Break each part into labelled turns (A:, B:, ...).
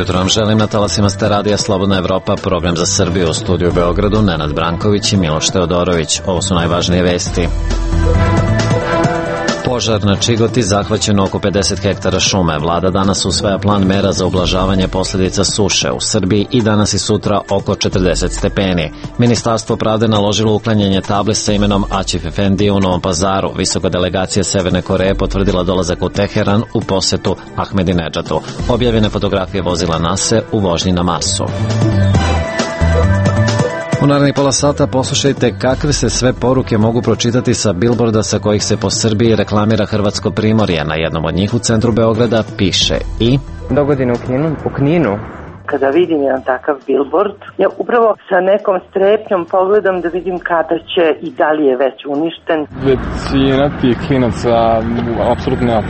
A: jutro vam želim, na talasima ste radija Slobodna Evropa, program za Srbiju, u studiju u Beogradu, Nenad Branković i Miloš Teodorović. Ovo su najvažnije vesti. Požar na Čigoti, zahvaćeno oko 50 hektara šume. Vlada danas usvaja plan mera za ublažavanje posljedica suše. U Srbiji i danas i sutra oko 40 stepeni. Ministarstvo pravde naložilo uklanjanje table sa imenom Aćif Efendije u Novom Pazaru. Visoka delegacija Severne Koreje potvrdila dolazak u Teheran u posetu Ahmedinedžadu. Objavljene fotografije vozila NASA u vožnji na Marsu. U narednih pola sata poslušajte kakve se sve poruke mogu pročitati sa bilborda sa kojih se po Srbiji reklamira Hrvatsko primorje. Na jednom od njih u centru Beograda piše i
B: dogodine u Kninu.
C: Kada vidim jedan takav bilbord, ja upravo sa nekom strepnjom pogledam da vidim kada će i da li je već uništen.
D: Većina tih klinaca apsolutno nema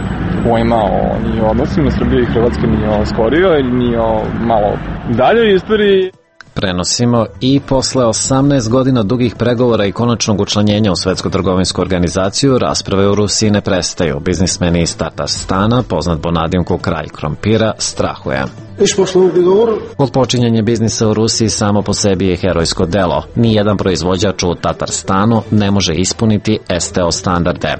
D: pojma ni o odnosima Srbije i Hrvatske, ni o skorijoj, ni o malo daljoj istoriji.
A: Prenosimo i posle 18 godina dugih pregovora i konačnog učlanjenja u Svetsku trgovinsku organizaciju, rasprave u Rusiji ne prestaju. Biznismeni iz Tatarstana, poznat po nadimku Kralj krompira, strahuje. Otpočinjanje biznisa u Rusiji samo po sebi je herojsko delo. Nijedan proizvođač u Tatarstanu ne može ispuniti STO standarde.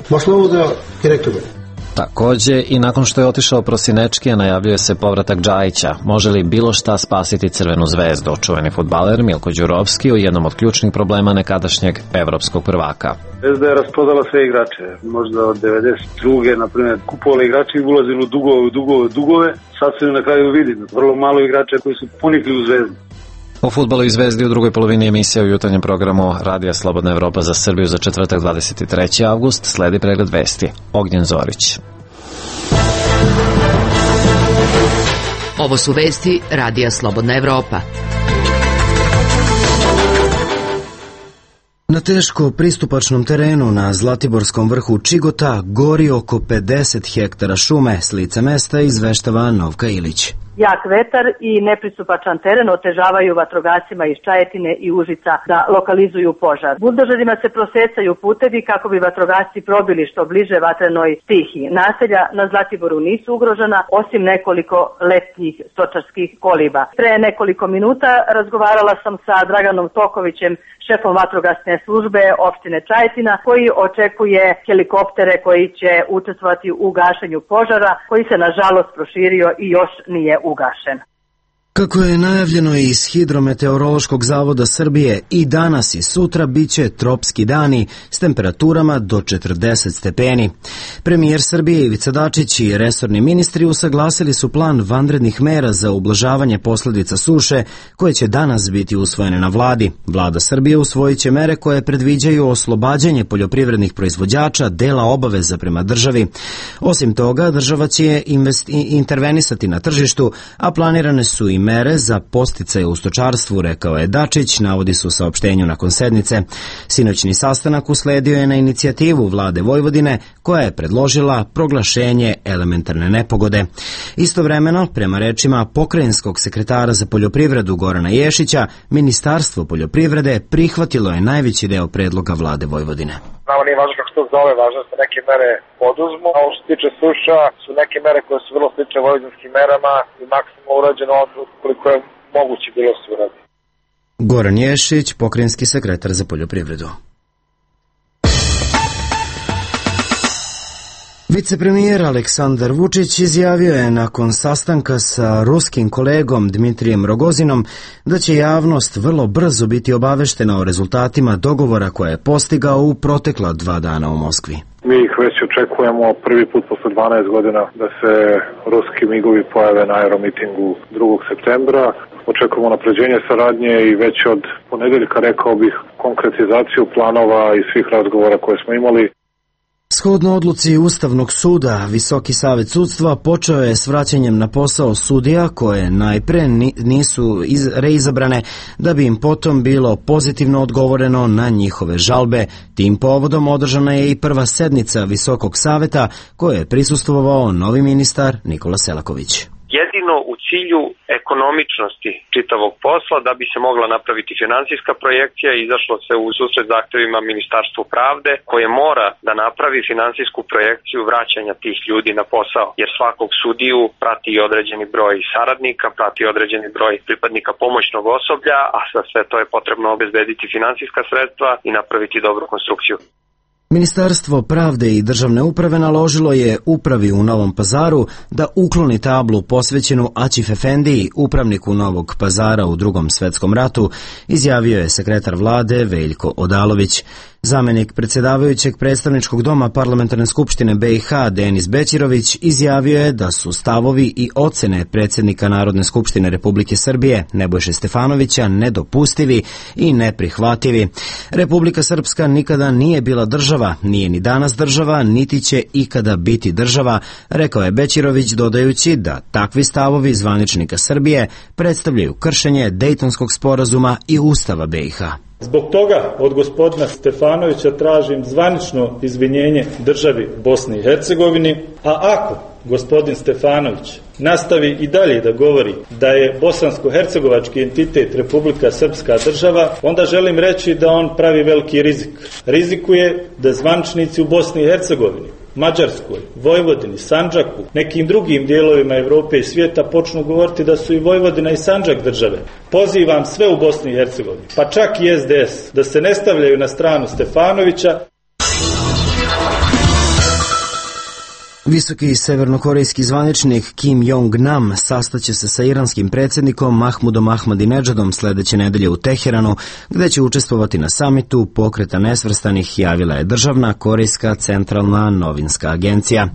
A: Takođe, i nakon što je otišao Prosinečki, najavljuje se povratak Džajića. Može li bilo šta spasiti Crvenu zvezdu? Čuveni fudbaler Milko Đurovski u jednom od ključnih problema nekadašnjeg evropskog prvaka.
E: Zvezda je rasprodala sve igrače. Možda od 92. na primjer kupovali igrače i ulazili u dugove. Sad se na kraju vidi. Vrlo malo igrača koji su ponikli u Zvezdu.
A: O fudbalu i Zvezdi u drugoj polovini emisije u jutarnjem programu Radija Slobodna Evropa za Srbiju za četvrtak 23. avgust sledi pregled vesti. Ognjen Zorić.
F: Ovo su vesti Radija Slobodna Evropa.
G: Na teško pristupačnom terenu na Zlatiborskom vrhu Čigota gori oko 50 hektara šume, s lica mesta izveštava Novka Ilić.
C: Jak vetar i nepristupačan teren otežavaju vatrogascima iz Čajetine i Užica da lokalizuju požar. Buldožerima se prosecaju putevi kako bi vatrogasci probili što bliže vatrenoj stihiji. Naselja na Zlatiboru nisu ugrožena, osim nekoliko letnjih stočarskih koliba. Pre nekoliko minuta razgovarala sam sa Draganom Tokovićem, šefom vatrogasne službe opštine Čajetina, koji očekuje helikoptere koji će učestvovati u gašenju požara, koji se nažalost proširio i još nije ugašen.
G: Kako je najavljeno iz Hidrometeorološkog zavoda Srbije, i danas i sutra biće tropski dani s temperaturama do 40 stepeni. Premijer Srbije Ivica Dačić i resorni ministri usaglasili su plan vanrednih mera za ublažavanje posljedica suše koje će danas biti usvojene na vladi. Vlada Srbije usvojit će mere koje predviđaju oslobađanje poljoprivrednih proizvođača dela obaveza prema državi. Osim toga, država će intervenisati na tržištu, a planirane su i mere za podsticaje u stočarstvu, rekao je Dačić, navodi se u saopštenju nakon sednice. Sinoćni sastanak usledio je na inicijativu vlade Vojvodine, koja je predložila proglašenje elementarne nepogode. Istovremeno, prema rečima pokrajinskog sekretara za poljoprivredu Gorana Ješića, Ministarstvo poljoprivrede prihvatilo je najveći deo predloga vlade Vojvodine.
H: Nama nije važno kako se to zove, važno da se neke mere poduzmu. A ovo što se tiče suša, su neke mere koje su vrlo slične vojvodinskim merama i maksimalno urađeno koliko je moguće bilo se uradi.
G: Goran Ješić, pokrajinski sekretar za poljoprivredu. Vicepremijer Aleksandar Vučić izjavio je nakon sastanka sa ruskim kolegom Dmitrijem Rogozinom da će javnost vrlo brzo biti obaveštena o rezultatima dogovora koje je postigao u protekla 2 dana u Moskvi.
I: Mi ih već očekujemo prvi put posle 12 godina da se ruski migovi pojave na aeromitingu 2. septembra. Očekujemo napređenje saradnje i već od ponedeljka, rekao bih, konkretizaciju planova i svih razgovora koje smo imali.
G: Shodno odluci Ustavnog suda, Visoki savet sudstva počeo je s vraćanjem na posao sudija koje najpre nisu reizabrane, da bi im potom bilo pozitivno odgovoreno na njihove žalbe. Tim povodom održana je i prva sednica Visokog saveta koje je prisustvovao novi ministar Nikola Selaković.
J: jedino u cilju ekonomičnosti čitavog posla, da bi se mogla napraviti finansijska projekcija i izašlo se u susret zahtevima Ministarstvu pravde koje mora da napravi finansijsku projekciju vraćanja tih ljudi na posao, jer svakog sudiju prati i određeni broj saradnika, prati određeni broj pripadnika pomoćnog osoblja, a za sve to je potrebno obezbediti finansijska sredstva i napraviti dobru konstrukciju.
G: Ministarstvo pravde i državne uprave naložilo je upravi u Novom Pazaru da ukloni tablu posvećenu Aćif Efendiji, upravniku Novog Pazara u Drugom svetskom ratu, izjavio je sekretar vlade Veljko Odalović. Zamenik predsjedavajućeg predstavničkog doma Parlamentarne skupštine BiH Denis Bećirović izjavio je da su stavovi i ocene predsjednika Narodne skupštine Republike Srbije Nebojše Stefanovića nedopustivi i neprihvativi. Republika Srpska nikada nije bila država, nije ni danas država, niti će ikada biti država, rekao je Bećirović, dodajući da takvi stavovi zvaničnika Srbije predstavljaju kršenje Dejtonskog sporazuma i Ustava BiH.
K: Zbog toga od gospodina Stefanovića tražim zvanično izvinjenje državi Bosni i Hercegovini, a ako gospodin Stefanović nastavi i dalje da govori da je bosansko-hercegovački entitet Republika Srpska država, onda želim reći da on pravi veliki rizik. Rizikuje da zvaničnici u Bosni i Hercegovini, Mađarskoj, Vojvodini, Sandžaku, nekim drugim dijelovima Evrope i svijeta počnu govoriti da su i Vojvodina i Sandžak države. Pozivam sve u Bosni i Hercegovini, pa čak i SDS, da se ne stavljaju na stranu Stefanovića.
G: Visoki severnokorejski zvaničnik Kim Jong-nam sastaće se sa iranskim predsjednikom Mahmudom Ahmadinedžadom sledeće nedelje u Teheranu, gde će učestvovati na samitu Pokreta nesvrstanih, javila je državna korejska centralna novinska agencija.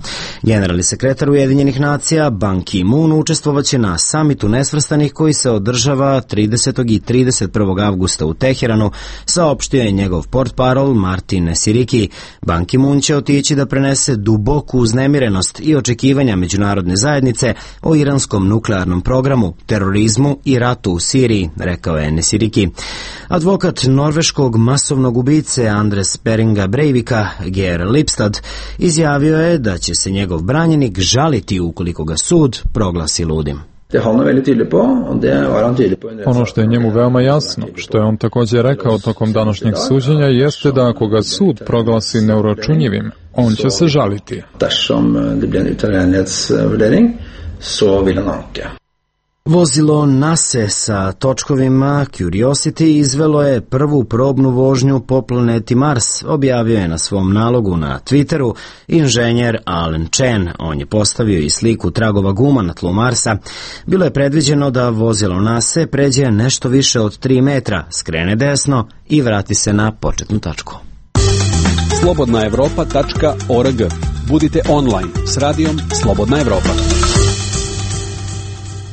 G: Generalni sekretar Ujedinjenih nacija Ban Ki-moon učestvovaće na samitu nesvrstanih koji se održava 30. i 31. avgusta u Teheranu, saopštio je njegov portparol Martin Nesiriki. Ban Ki-moon će otići da prenese duboku uznemirenost i očekivanja međunarodne zajednice o iranskom nuklearnom programu, terorizmu i ratu u Siriji, rekao je Nesiriki. Advokat norveškog masovnog ubice Andres Beringa Breivika, Geir Lipstad, izjavio je da će se njegov branjenik žaliti ukoliko ga sud proglasi ludim.
D: Ono što je njemu veoma jasno, što je on također rekao tokom današnjeg suđenja, jeste da ako ga sud proglasi neuračunjivim, on će se žaliti.
G: Vozilo NASE sa točkovima Curiosity izvelo je prvu probnu vožnju po planeti Mars, objavio je na svom nalogu na Twitteru inženjer Alan Chen. On je postavio i sliku tragova guma na tlu Marsa. Bilo je predviđeno da vozilo NASE pređe nešto više od 3 metra, skrene desno i vrati se na početnu tačku.
L: slobodnaevropa.org. Budite online s radijom Slobodna Evropa.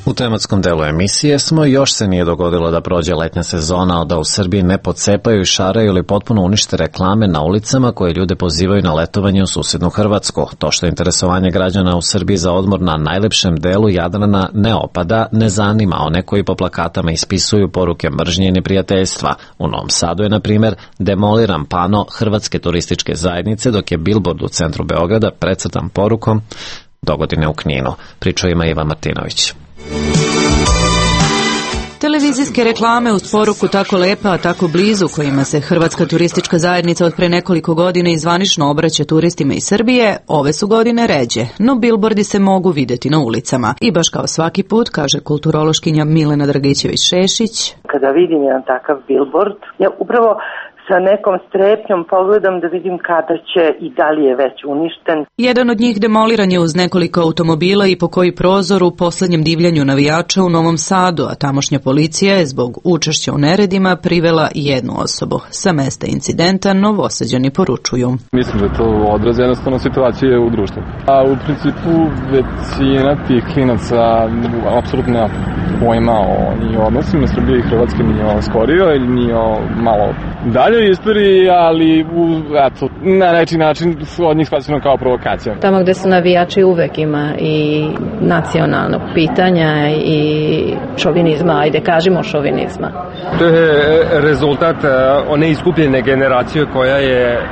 A: U tematskom delu emisije smo, još se nije dogodilo da prođe letnja sezona, da u Srbiji ne pocepaju, šaraju ili potpuno unište reklame na ulicama koje ljude pozivaju na letovanje u susednu Hrvatsku. To što interesovanje građana u Srbiji za odmor na najlepšem delu Jadrana ne opada, ne zanima one koji po plakatama ispisuju poruke mržnje i neprijateljstva. U Novom Sadu je, na primjer, demoliran pano Hrvatske turističke zajednice, dok je bilbord u centru Beograda precrtan porukom "Dogodine u Kninu". Pričao ima Ivan Martinović.
M: Televizijske reklame uz poruku "tako lepa, a tako blizu", kojima se Hrvatska turistička zajednica od pre nekoliko godina i zvanično obraća turistima iz Srbije, ove su godine ređe, no bilbordi se mogu videti na ulicama. I baš kao svaki put, kaže kulturološkinja Milena Dragićević-Šešić,
N: kada vidim jedan takav bilbord, ja upravo sa nekom strepnjom pogledam da vidim kada će i da li je već uništen.
M: Jedan od njih demoliran je uz nekoliko automobila i po koji prozor u poslednjem divljanju navijača u Novom Sadu, a tamošnja policija je zbog učešća u neredima privela jednu osobu. Sa mesta incidenta Novosađani poručuju:
D: Mislim da to odraz jednostavno situacije u društvu. A u principu većina tih klinaca apsolutno nema pojma o ni odnosima Srbije i Hrvatske, ni o skorio ili ni o malo daljoj istoriji, ali na neki način su od njih shvaćeno kao provokacija.
O: Tamo gde su navijači uvek ima i nacionalnog pitanja i šovinizma, ajde kažemo šovinizma.
P: To je rezultat one iskupljene generacije koja je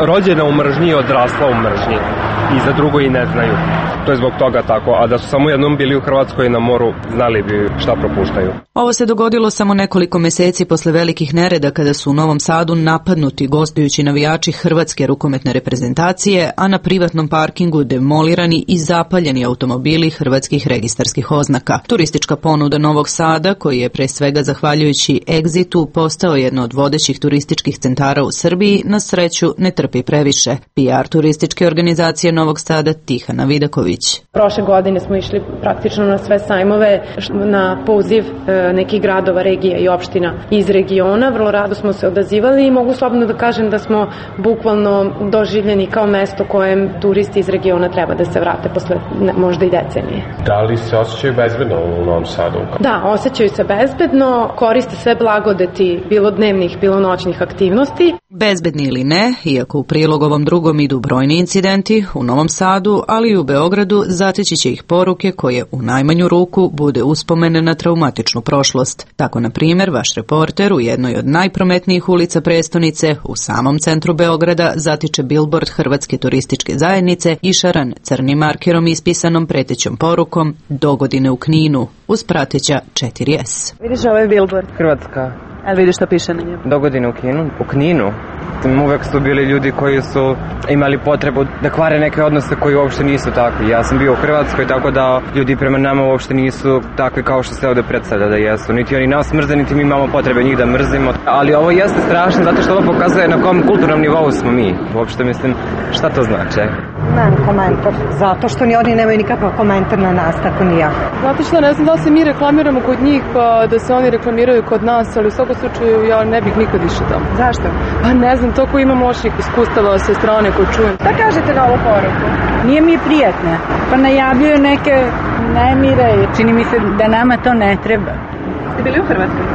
P: rođena u mržnji i odrasla u mržnji i za drugo i ne znaju. To je zbog toga tako, a da su samo jednom bili u Hrvatskoj na moru, znali bi šta propuštaju.
M: Ovo se dogodilo samo nekoliko meseci posle velikih nereda kada su u Novom Sadu napadnuti gostujući navijači hrvatske rukometne reprezentacije, a na privatnom parkingu demolirani i zapaljeni automobili hrvatskih registarskih oznaka. Turistička ponuda Novog Sada, koji je pre svega zahvaljujući Exitu postao jedno od vodećih turističkih centara u Srbiji, na sreću ne trpi previše. PR turističke organizacije Novog Sada Tihana Vidaković.
Q: Prošle godine smo išli praktično na sve sajmove na poziv nekih gradova, regija i opština iz regiona. Vrlo rado smo se odazivali i mogu slobodno da kažem da smo bukvalno doživljeni kao mesto kojem turisti iz regiona treba da se vrate posle možda i decenije.
R: Da li se osjećaju bezbedno u Novom Sadu?
Q: Da, osjećaju se bezbedno, koriste sve blagodeti bilo dnevnih, bilo noćnih aktivnosti.
M: Bezbedni ili ne, iako u prilog ovom drugom idu brojni incidenti, u Novom Sadu, ali i u Beogradu zateći će ih poruke koje u najmanju ruku bude uspomene na traumatičnu prošlost. Tako, na primjer, vaš reporter u jednoj od najprometnijih ulica prestonice, u samom centru Beograda, zatiče bilbord Hrvatske turističke zajednice išaran crnim markerom ispisanom pretećom porukom "Dogodine u Kninu", uz prateća 4S.
B: Vidiš ovaj bilbord? Hrvatska.
M: Ali vidiš šta piše na njemu?
B: Dogodine u Kninu. Uvek su bili ljudi koji su imali potrebu da kvare neke odnose koji uopšte nisu takvi. Ja sam bio u Hrvatskoj, tako da ljudi prema nama uopšte nisu takvi kao što se ovde predstavlja da jesu. Niti oni nas mrze, niti mi imamo potrebe njih da mrzimo. Ali ovo jeste strašno zato što ovo pokazuje na kom kulturnom nivou smo mi. Uopšte mislim, šta to znači?
S: Nemam komentar, zato što ni oni nemaju nikakav komentar na nas, tako ni ja.
Q: Znate što, ne znam da li se mi reklamiramo kod njih, pa da se oni reklamiraju kod nas, ali u svakom slučaju ja ne bih nikad išao tamo.
S: Zašto?
Q: Pa ne znam, toliko imam loših iskustava sa strane koje čujem.
S: Šta kažete na ovu poruku? Nije mi prijatno, pa najavljuju neke nemire. Čini mi se da nama to ne treba.
Q: Ste bili u Hrvatskoj?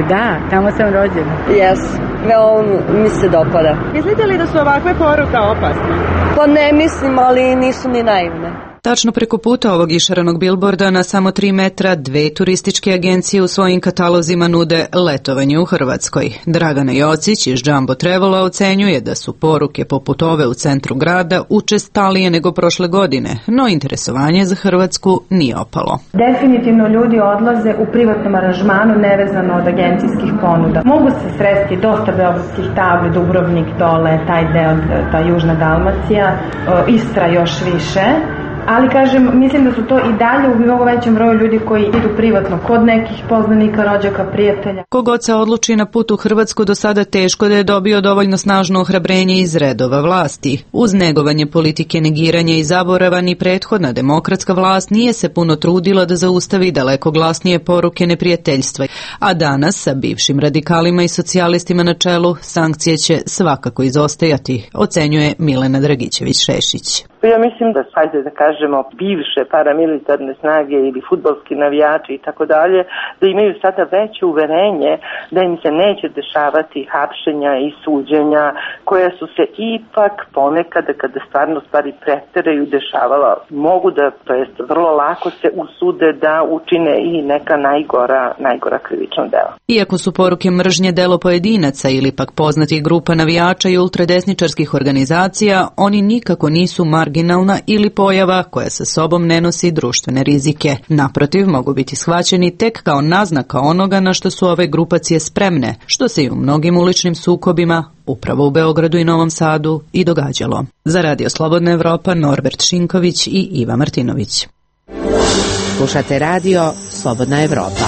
S: Da, tamo sam rođena.
T: Jes, veoma mi se dopada.
Q: Mislite li da su ovakve poruke opasne?
T: Pa ne mislim, ali nisu ni naivne.
M: Tačno preko puta ovog išaranog bilborda na samo 3 metra 2 turističke agencije u svojim katalozima nude letovanje u Hrvatskoj. Dragana Jocić iz Jumbo Travela ocenjuje da su poruke poput ove u centru grada učestalije nego prošle godine, no interesovanje za Hrvatsku nije opalo.
U: Definitivno ljudi odlaze u privatnom aranžmanu nevezano od agencijskih ponuda. Mogu se sresti dosta beogradskih tabli, Dubrovnik dole, taj deo, ta južna Dalmacija, Istra još više. Ali kažem, mislim da su to i dalje u mnogo većem broju ljudi koji idu privatno kod nekih poznanika, rođaka, prijatelja.
M: Kogod se odluči na put u Hrvatsku do sada teško da je dobio dovoljno snažno ohrabrenje iz redova vlasti. Uz negovanje politike negiranja i zaborava ni prethodna demokratska vlast nije se puno trudila da zaustavi daleko glasnije poruke neprijateljstva. A danas sa bivšim radikalima i socijalistima na čelu sankcije će svakako izostajati, ocenjuje Milena Dragićević-Šešić.
N: Ja mislim da, hajde da kažemo, bivše paramilitarne snage ili fudbalski navijači i tako dalje, da imaju sada veće uverenje da im se neće dešavati hapšenja i suđenja koja su se ipak ponekada kada stvarno stvari preteraju dešavala. Mogu da, to jest vrlo lako se usude da učine i neka najgora krivična dela.
M: Iako su poruke mržnje delo pojedinaca ili pak poznatih grupa navijača i ultradesničarskih organizacija, oni nikako nisu marginalna ili pojava koja sa sobom ne nosi društvene rizike. Naprotiv, mogu biti shvaćeni tek kao naznaka onoga na što su ove grupacije spremne, što se i u mnogim uličnim sukobima, upravo u Beogradu i Novom Sadu, i događalo. Za Radio Slobodna Evropa, Norbert Šinković i Iva Martinović.
F: Slušate Radio Slobodna Evropa.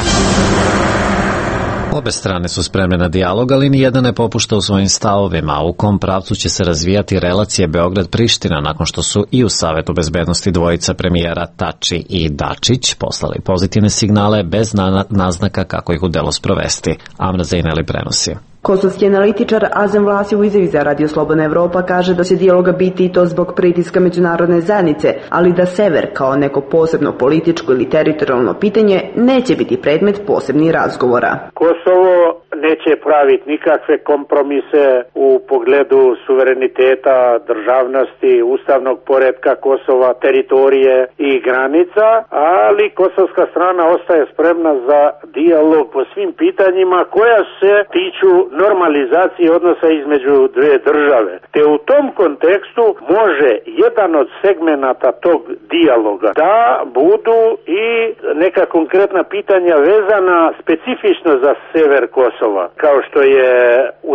A: Obe strane su spremne na dijalog, ali nijedna ne popušta u svojim stavovima. U kom pravcu će se razvijati relacije Beograd-Priština nakon što su i u Savetu bezbednosti dvojica premijera Tači i Dačić poslali pozitivne signale bez naznaka kako ih u delo sprovesti. Amra Zejneli prenosi.
V: Kosovski analitičar Azem Vlasi u izjavi za Radio Slobodna Evropa kaže da će dijaloga biti i to zbog pritiska međunarodne zajednice, ali da sever kao neko posebno političko ili teritorijalno pitanje neće biti predmet posebnih razgovora.
W: Kosovo
C: neće praviti nikakve kompromise u pogledu suvereniteta, državnosti, ustavnog poretka Kosova, teritorije i granica, ali kosovska strana ostaje spremna za dijalog po svim pitanjima koja se tiču normalizacije odnosa između dve države. Te u tom kontekstu može jedan od segmenata tog dijaloga da budu i neka konkretna pitanja vezana specifično za sever Kosova, kao što je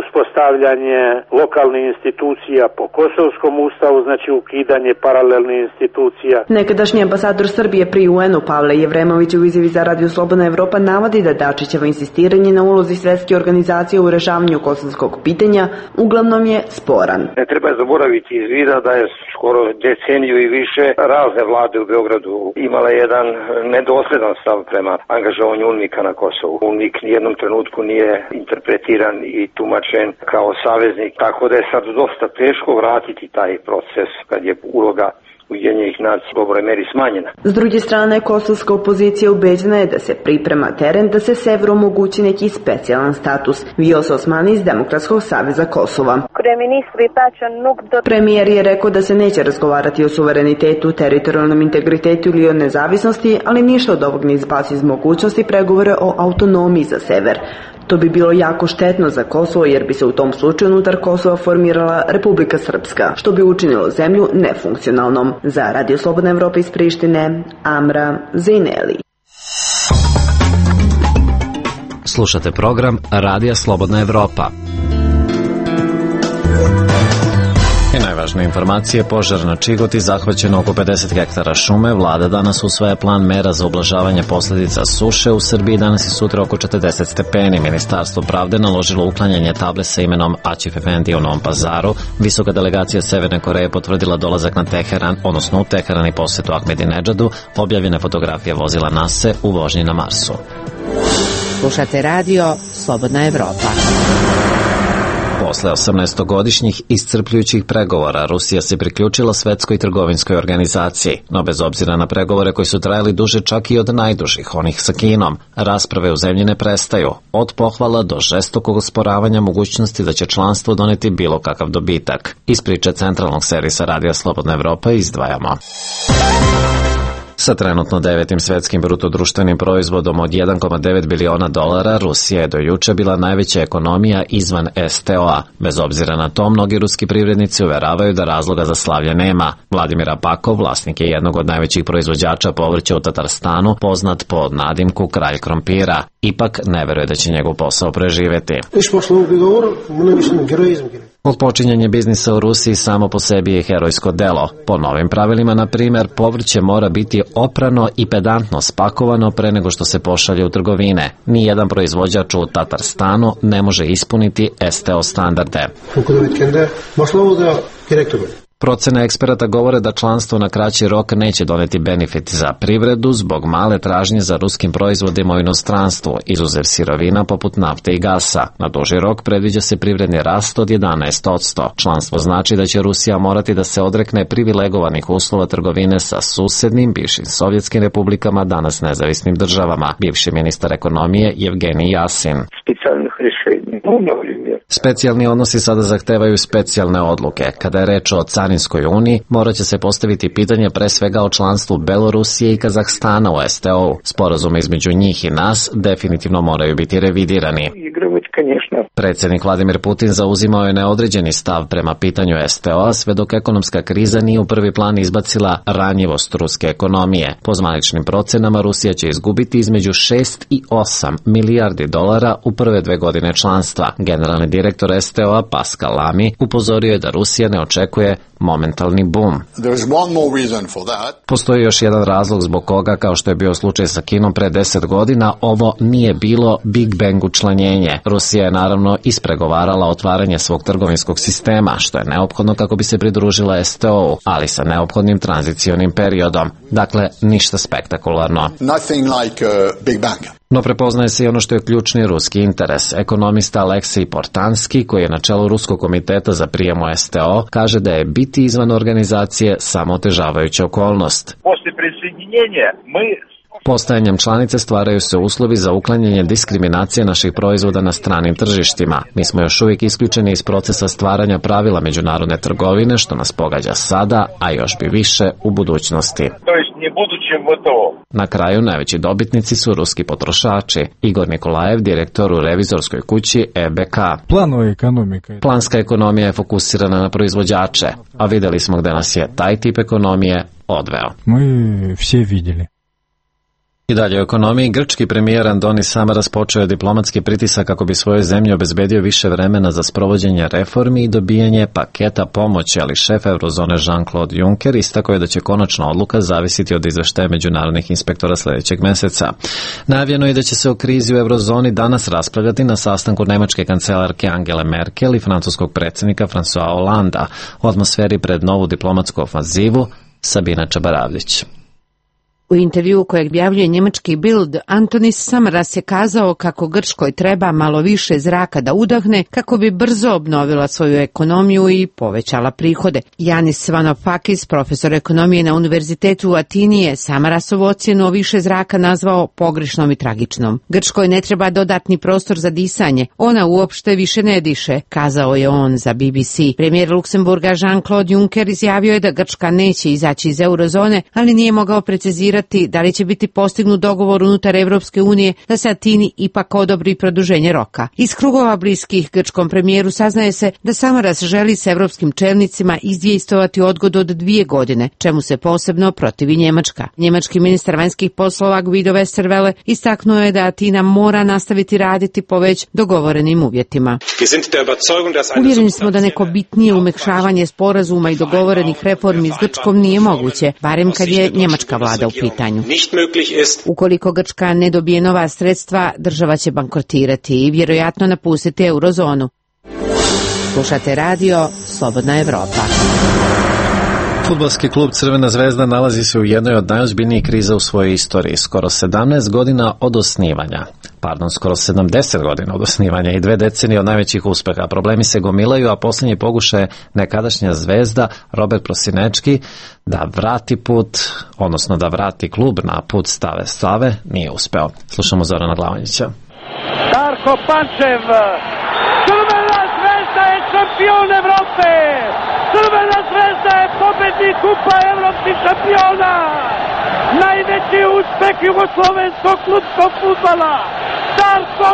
C: uspostavljanje lokalnih institucija po kosovskom ustavu, znači ukidanje paralelnih institucija.
V: Nekadašnji ambasador Srbije pri UN-u Pavle Jevremović u izjavi za Radio Slobodna Evropa navodi da Dačićevo insistiranje na ulozi Svetske organizacije u rešavanju kosovskog pitanja uglavnom je sporan.
E: Ne treba zaboraviti iz vida da je skoro deceniju i više razne vlade u Beogradu imale jedan nedosledan stav prema angažovanju UNMIK-a na Kosovu. UNMIK nijednom trenutku nije interpretiran i tumačen kao saveznik, tako da je sad dosta teško vratiti taj proces kad je uloga Ujedinjenih nacija u dobroj meri smanjena.
V: S druge strane, kosovska opozicija ubeđena je da se priprema teren da se severu omogući neki specijalan status. Vjosa Osmani iz Demokratskog saveza Kosova. Premijer je rekao da se neće razgovarati o suverenitetu, teritorijalnom integritetu ili o nezavisnosti, ali ništa od ovog ne izbaci iz mogućnosti pregovore o autonomiji za sever. To bi bilo jako štetno za Kosovo jer bi se u tom slučaju unutar Kosova formirala Republika Srpska, što bi učinilo zemlju nefunkcionalnom. Za Radio Slobodna Evropa iz Prištine, Amra Zejneli.
A: Slušate program Radija Slobodna Evropa. I najvažnije informacije, požar na Čigoti, zahvaćeno oko 50 hektara šume. Vlada danas usvaja plan mera za ublažavanje posljedica suše. U Srbiji danas i sutra oko 40 stepeni. Ministarstvo pravde naložilo uklanjanje table sa imenom Aćif Efendija u Novom Pazaru. Visoka delegacija Severne Koreje potvrdila dolazak na Teheran, odnosno u Teheran i posjetu Ahmedinedžadu. Objavljene fotografije vozila NASA u vožnji na Marsu.
F: Slušate radio Slobodna Evropa.
A: Posle 18-godišnjih iscrpljujućih pregovora, Rusija se priključila Svetskoj trgovinskoj organizaciji, no bez obzira na pregovore koji su trajali duže čak i od najdužih, onih sa Kinom, rasprave u zemlji ne prestaju, od pohvala do žestokog osporavanja mogućnosti da će članstvo doneti bilo kakav dobitak. Iz priče centralnog servisa Radija Slobodna Evropa izdvajamo. Sa trenutno 9. svetskim brutodruštvenim proizvodom od 1,9 biliona dolara, Rusija je do juče bila najveća ekonomija izvan STO-a. Bez obzira na to, mnogi ruski privrednici uveravaju da razloga za slavlje nema. Vladimir Apakov, vlasnik je jednog od najvećih proizvođača povrća u Tatarstanu, poznat pod nadimku Kralj krompira. Ipak ne veruje da će njegov posao preživeti. Otpočinjanje biznisa u Rusiji samo po sebi je herojsko delo. Po novim pravilima, na primjer, povrće mora biti oprano i pedantno spakovano pre nego što se pošalje u trgovine. Nijedan proizvođač u Tatarstanu ne može ispuniti STO standarde. Procene eksperata govore da članstvo na kraći rok neće doneti benefit za privredu zbog male tražnje za ruskim proizvodima u inostranstvu, izuzev sirovina poput nafte i gasa. Na duži rok predviđa se privredni rast od 11%. Članstvo znači da će Rusija morati da se odrekne privilegovanih uslova trgovine sa susednim bivšim sovjetskim republikama, danas nezavisnim državama. Bivši ministar ekonomije Evgenij Jasin. Specijalni odnosi sada zahtevaju specijalne odluke. Kada je reč o Carinskoj uniji, morat će se postaviti pitanje pre svega o članstvu Belorusije i Kazahstana u STO-u. Sporazume između njih i nas definitivno moraju biti revidirani. Predsjednik Vladimir Putin zauzimao je neodređeni stav prema pitanju STO-a, sve dok ekonomska kriza nije u prvi plan izbacila ranjivost ruske ekonomije. Po zvaničnim procenama, Rusija će izgubiti između 6 i 8 milijardi dolara u prve 2 godine članstva. Generalni direktor STO-a Pascal Lamy upozorio je da Rusija ne očekuje momentalni boom. Postoji još jedan razlog zbog koga, kao što je bio slučaj sa Kinom pre 10 godina, ovo nije bilo Big Bang učlanjenje. Rusija je naravno ispregovarala otvaranje svog trgovinskog sistema, što je neophodno kako bi se pridružila STO-u, ali sa neophodnim tranzicionim periodom. Dakle, ništa spektakularno. No prepoznaje se i ono što je ključni ruski interes. Ekonomista Aleksej Portanski, koji je na čelu Ruskog komiteta za prijem u STO, kaže da je biti izvan organizacije samo otežavajuća okolnost. Postajanjem članice stvaraju se uslovi za uklanjanje diskriminacije naših proizvoda na stranim tržištima. Mi smo još uvijek isključeni iz procesa stvaranja pravila međunarodne trgovine, što nas pogađa sada, a još bi više u budućnosti. Na kraju najveći dobitnici su ruski potrošači. Igor Nikolajev, direktor u revizorskoj kući EBK. Planska ekonomija je fokusirana na proizvođače, a vidjeli smo gde nas je taj tip ekonomije odveo. I dalje u ekonomiji, grčki premijer Andonis Samaras počeo je diplomatski pritisak kako bi svojoj zemlji obezbedio više vremena za sprovođenje reformi i dobijanje paketa pomoći, ali šef Eurozone Jean-Claude Juncker istakao je da će konačna odluka zavisiti od izveštaja međunarodnih inspektora sljedećeg meseca. Najavljeno je da će se o krizi u Eurozoni danas raspravljati na sastanku nemačke kancelarke Angele Merkel i francuskog predsjednika François Hollanda. U atmosferi pred novu diplomatsku ofanzivu Sabina Čabaravljić.
H: U intervjuu kojeg objavljuje njemački Bild, Antonis Samaras je kazao kako Grčkoj treba malo više zraka da udahne kako bi brzo obnovila svoju ekonomiju i povećala prihode. Janis Vanofakis, profesor ekonomije na Univerzitetu u Atini, je Samarasovu ocjenu o više zraka nazvao pogrešnom i tragičnom. Grčkoj ne treba dodatni prostor za disanje, ona uopšte više ne diše, kazao je on za BBC. Premijer Luksemburga Jean-Claude Juncker izjavio je da Grčka neće izaći iz eurozone, ali nije mogao precizirati da li će biti postignut dogovor unutar Evropske unije da se Atini ipak odobri produženje roka. Iz krugova bliskih grčkom premijeru saznaje se da Samaras želi s evropskim čelnicima izdejstvovati odgodu od 2 godine, čemu se posebno protivi Njemačka. Njemački ministar vanjskih poslova Guido Westerwelle istaknuo je da Atina mora nastaviti raditi po već dogovorenim uvjetima. Uvjereni smo da neko bitnije umekšavanje sporazuma i dogovorenih reformi s Grčkom nije moguće, barem kad je njemačka vlada u pitanju. Ukoliko Grčka ne dobije nova sredstva, država će bankrotirati i vjerojatno napustiti eurozonu. Slušate radio Slobodna Evropa.
A: Fudbalski klub Crvena zvezda nalazi se u jednoj od najozbiljnijih kriza u svojoj istoriji. Skoro 70 godina od osnivanja i 2 decenije od najvećih uspeha. Problemi se gomilaju, a posljednji pokušaj nekadašnja zvezda Robert Prosinečki da vrati klub na put stave nije uspeo. Slušamo Zorana Glavanjića.
I: Darko Pančev, Crvena zvezda je šampion Evrope! Crvena zvezda je pobednik kupa evropskih šampiona! Najveći uspeh jugoslovenskog klubskog fudbala! Darko!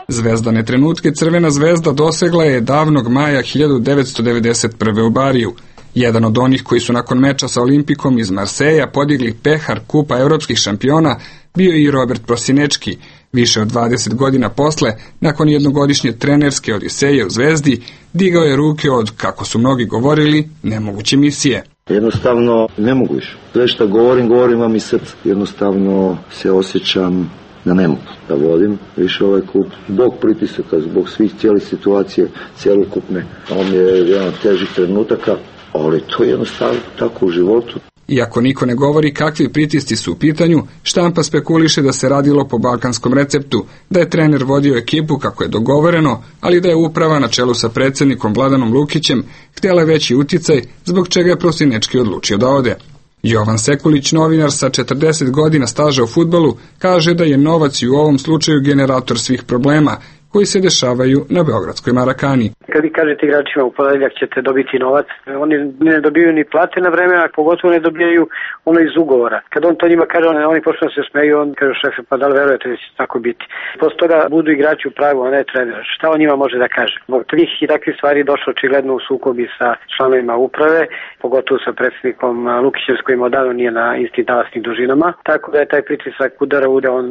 W: Zvezdane trenutke Crvena zvezda dosegla je davnog maja 1991. u Bariju. Jedan od onih koji su nakon meča sa Olimpikom iz Marseja podigli pehar kupa evropskih šampiona bio i Robert Prosinečki. Više od 20 godina posle, nakon jednogodišnje trenerske odiseje u Zvezdi, digao je ruke od, kako su mnogi govorili, nemoguće misije.
X: Jednostavno ne mogu više. Sve što govorim vam iz srca. Jednostavno se osjećam da ne mogu da vodim više ovaj klub. Zbog pritisaka, zbog svih cijelih situacije, cijelokupne. On je jedan od težih trenutaka, ali to je jednostavno tako u životu.
W: Iako niko ne govori kakvi pritisci su u pitanju, štampa spekuliše da se radilo po balkanskom receptu, da je trener vodio ekipu kako je dogovoreno, ali da je uprava na čelu sa predsjednikom Vladanom Lukićem htjela veći uticaj, zbog čega je Prosinečki odlučio da ode. Jovan Sekulić, novinar sa 40 godina staža u fudbalu, kaže da je novac i u ovom slučaju generator svih problema koji se dešavaju na beogradskoj Marakani.
Y: Kad vi kažete igračima u ponedeljak ćete dobiti novac, oni ne dobijaju ni plate na vreme, a pogotovo ne dobijaju ono iz ugovora. Kad on to njima kaže, oni počnu da se smeju, on kaže šefe, pa da li verujete da će tako biti. Posle toga budu igrači u pravu, a ne trener. Šta on njima može da kaže? Zbog tih i takvih stvari došlo očigledno u sukobi sa članovima uprave, pogotovo sa predsjednikom Lukićem s kojim odavno nije na istim talasnim dužinama. Tako da je taj pritisak udara ude, on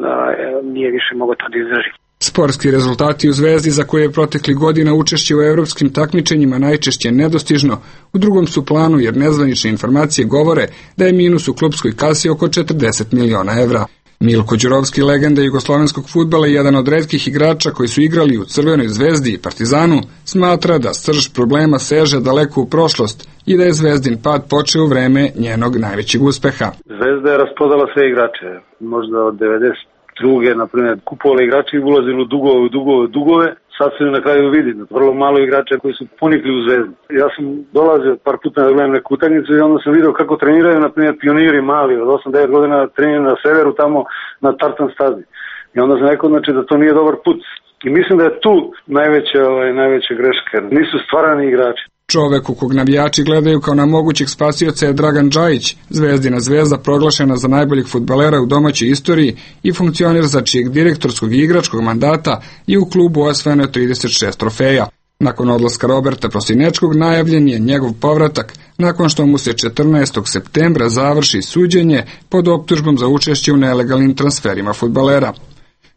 Y: nije više mogao to da izdrži.
W: Sportski rezultati u Zvezdi, za koje je protekli godina učešće u evropskim takmičenjima najčešće nedostižno, u drugom su planu jer nezvanične informacije govore da je minus u klubskoj kasi oko 40 miliona evra. Milko Đurovski, legenda jugoslovenskog fudbala i jedan od retkih igrača koji su igrali u Crvenoj zvezdi i Partizanu, smatra da srž problema seže daleko u prošlost i da je Zvezdin pad počeo u vreme njenog najvećeg uspeha.
Z: Zvezda je raspodala sve igrače, možda od 92. na primjer, kupovali igrači i ulazili u dugove, sad se na kraju vidi, vrlo malo igrača koji su ponikli u Zvezdu. Ja sam dolazio par puta da gledam neku utakmicu i onda sam vidio kako treniraju, na primjer, pioniri mali od 8-9 godina treniraju na severu tamo na tartan stazi. I onda sam rekao, znači, da to nije dobar put. I mislim da je tu najveća greška. Nisu stvarani igrači.
W: Čovek u kog navijači gledaju kao na mogućeg spasioca je Dragan Džajić, Zvezdina zvezda proglašena za najboljeg fudbalera u domaćoj istoriji i funkcioner za čijeg direktorskog i igračkog mandata je u klubu osvojeno 36 trofeja. Nakon odlaska Roberta Prosinečkog najavljen je njegov povratak nakon što mu se 14. septembra završi suđenje pod optužbom za učešće u nelegalnim transferima fudbalera.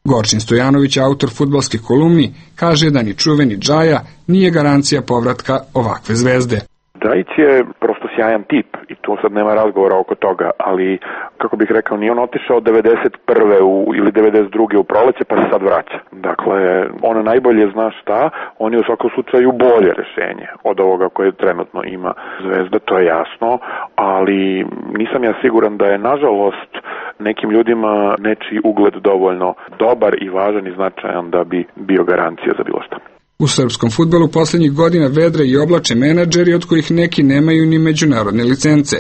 W: Gorčin Stojanović, autor fudbalskih kolumni, kaže da ni čuveni Džaja nije garancija povratka ovakve zvezde.
D: Džajić je prosto sjajan tip i tu sad nema razgovora oko toga, ali kako bih rekao, nije on otišao 91. ili 92. u proleće pa se sad vraća. Dakle, on najbolje zna šta, on je u svakom slučaju bolje rešenje od ovoga koje trenutno ima Zvezda, to je jasno, ali nisam ja siguran da je nažalost nekim ljudima nečiji ugled dovoljno dobar i važan i značajan da bi bio garancija za bilo šta.
W: U srpskom fudbalu poslednjih godina vedre i oblače menadžeri od kojih neki nemaju ni međunarodne licence.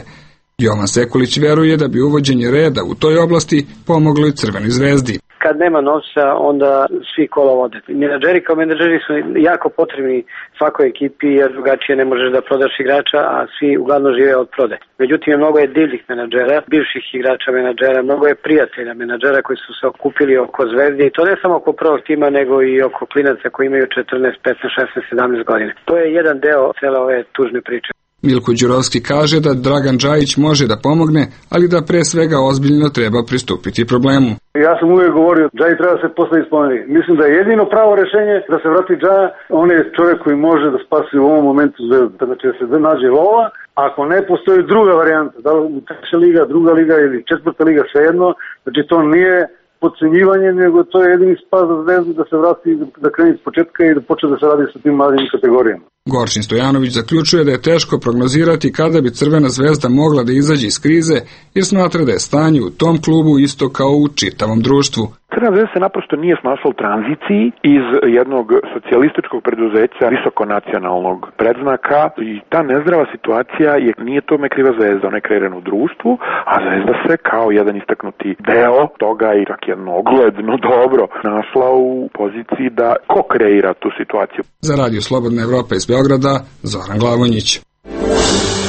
W: Jovan Sekulić veruje da bi uvođenje reda u toj oblasti pomoglo i Crvenoj zvezdi.
Y: Kad nema novca, onda svi kola vode. Menadžeri kao menadžeri su jako potrebni svakoj ekipi, jer drugačije ne možeš da prodaš igrača, a svi uglavnom žive od prode. Međutim, mnogo je divljih menadžera, bivših igrača menadžera, mnogo je prijatelja menadžera koji su se okupili oko Zvezde, i to ne samo oko prvog tima, nego i oko klinaca koji imaju 14, 15, 16, 17 godina. To je jedan deo cele ove tužne priče.
W: Milko Đurovski kaže da Dragan Džajić može da pomogne, ali da pre svega ozbiljno treba pristupiti problemu.
Z: Ja sam uvijek govorio, Džaji treba se postaviti spomenik. Mislim da je jedino pravo rešenje da se vrati Džaja, on je čovjek koji može da spasi u ovom momentu Zvezdu. Znači da se nađe lova, ako ne postoji druga varijanta, da li treća liga, druga liga ili četvrta liga, svejedno, znači to nije podcenjivanje, nego to je jedini spas za Zvezdu da se vrati, da kreni iz početka i da počne da se radi sa tim mladim kategorijama.
W: Gorčin Stojanović zaključuje da je teško prognozirati kada bi Crvena zvezda mogla da izađe iz krize, jer smatra da je stanje u tom klubu isto kao u čitavom društvu.
D: Crvena zvezda se naprosto nije snašla u tranziciji iz jednog socijalističkog preduzeća visokonacionalnog predznaka i ta nezdrava situacija nije tome kriva Zvezda, ona je kreirana u društvu, a Zvezda se kao jedan istaknuti deo toga i čak jedno ogledno dobro našla u poziciji da ko kreira tu situaciju.
W: Za Radio Slobodna Evropa iz Beograda, Zoran Glavonjić.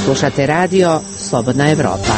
H: Slušate radio Slobodna Evropa.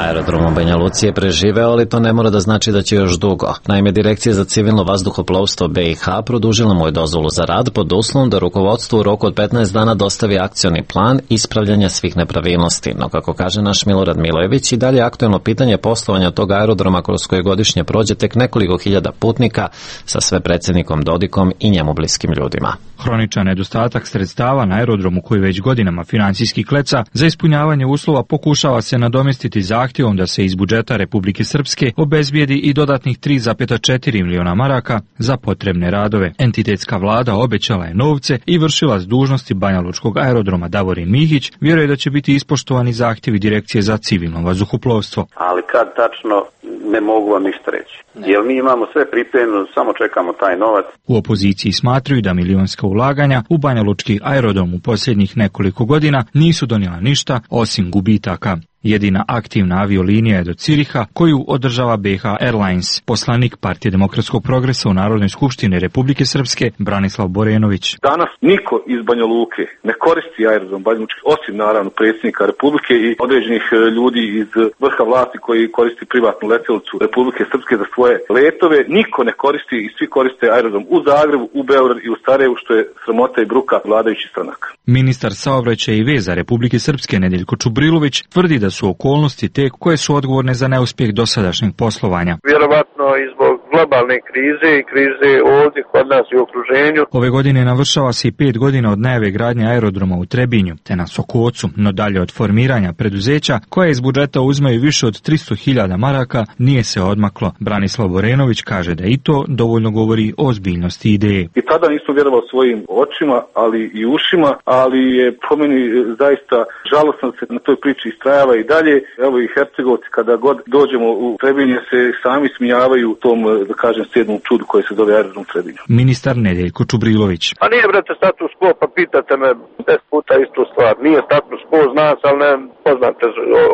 A: Aerodrom u Banja Luci je preživeo, ali to ne mora da znači da će još dugo. Naime, Direkcija za civilno vazduhoplovstvo BiH produžila mu je dozvolu za rad pod uslovom da rukovodstvo u roku od 15 dana dostavi akcioni plan ispravljanja svih nepravilnosti. No, kako kaže naš Milorad Milojević, i dalje aktuelno pitanje poslovanja tog aerodroma kroz koje godišnje prođe tek nekoliko hiljada putnika sa sve predsjednikom Dodikom i njemu bliskim ljudima.
G: Hroničan nedostatak sredstava na aerodromu koji već godinama financijski kleca, za ispunjavanje uslova pokušava se nadomjestiti zahtjevom da se iz budžeta Republike Srpske obezbijedi i dodatnih 3,4 miliona maraka za potrebne radove. Entitetska vlada obećala je novce i vršilac dužnosti Banjalučkog aerodroma Davorin Mihić vjeruje da će biti ispoštovani zahtjevi Direkcije za civilno vazduhoplovstvo.
J: Ali kad tačno, ne mogu vam ništa reći. Jer mi imamo sve pripremljeno, samo čekamo taj novac.
G: U opoziciji smatruju da milionska ulaganja u Banjalučki aerodrom u posljednjih nekoliko godina nisu donijela ništa osim gubitaka. Jedina aktivna aviolinija je do Ciriha, koju održava BiH Airlines. Poslanik Partije demokratskog progresa u Narodnoj skupštini Republike Srpske, Branislav Borenović.
K: Danas niko iz Banja Luke ne koristi aerodrom Banjalučki, osim naravno predsjednika Republike i određenih ljudi iz vrha vlasti koji koristi privatnu letjelicu Republike Srpske za svoje letove. Niko ne koristi i svi koriste aerodrom u Zagrebu, u Beogradu i u Sarajevu, što je sramota i bruka vladajućih stranaka.
G: Ministar saobraćaja i veza Republike Srpske Nedeljko Čubrilović tvrdi da su okolnosti te koje su odgovorne za neuspjeh dosadašnjeg poslovanja.
K: Vjerovatno i zbog globalne krize i krize ovdje kod nas i u okruženju.
G: Ove godine navršava se i 5 godina od najave gradnje aerodroma u Trebinju te na Sokocu, no dalje od formiranja preduzeća koje iz budžeta uzmaju više od 300.000 maraka nije se odmaklo. Branislav Borenović kaže da i to dovoljno govori o ozbiljnosti ideje.
K: I tada nisam vjerovao svojim očima, ali i ušima, ali je po meni zaista žalosno se na toj priči istrajava i dalje. Evo i Hercegovci kada god dođemo u Trebinje se sami smijavaju tom da kažem, sjednu čudu koje se zove aerodrom Trebinje.
G: Ministar Nedeljko Čubrilović.
B: Pa nije, brate, status quo, pa pitate me 10 puta istu stvar. Nije status quo, zna se, ali ne poznate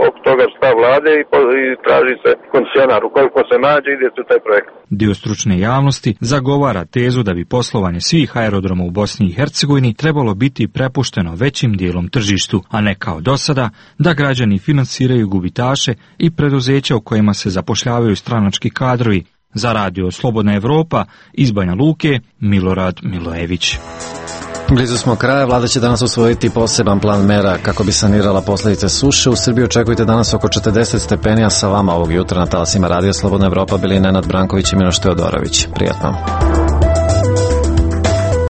B: oko toga stav vlade i traži se koncesionar. Ukoliko se nađe, ide se u taj projekt.
G: Dio stručne javnosti zagovara tezu da bi poslovanje svih aerodroma u Bosni i Hercegovini trebalo biti prepušteno većim dijelom tržištu, a ne kao do sada da građani finansiraju gubitaše i preduzeća u kojima se zapošljavaju stranački kadrovi. Za radio Slobodna Evropa iz Banja Luke, Milorad Milojević.
A: Blizu smo kraja, vlada će danas usvojiti poseban plan mera kako bi sanirala posljedice suše. U Srbiji očekujte danas oko 40 stepeni, a sa vama ovog jutra na talasima radija Slobodna Evropa bili Nenad Branković i Miloš Teodorović. Prijatno.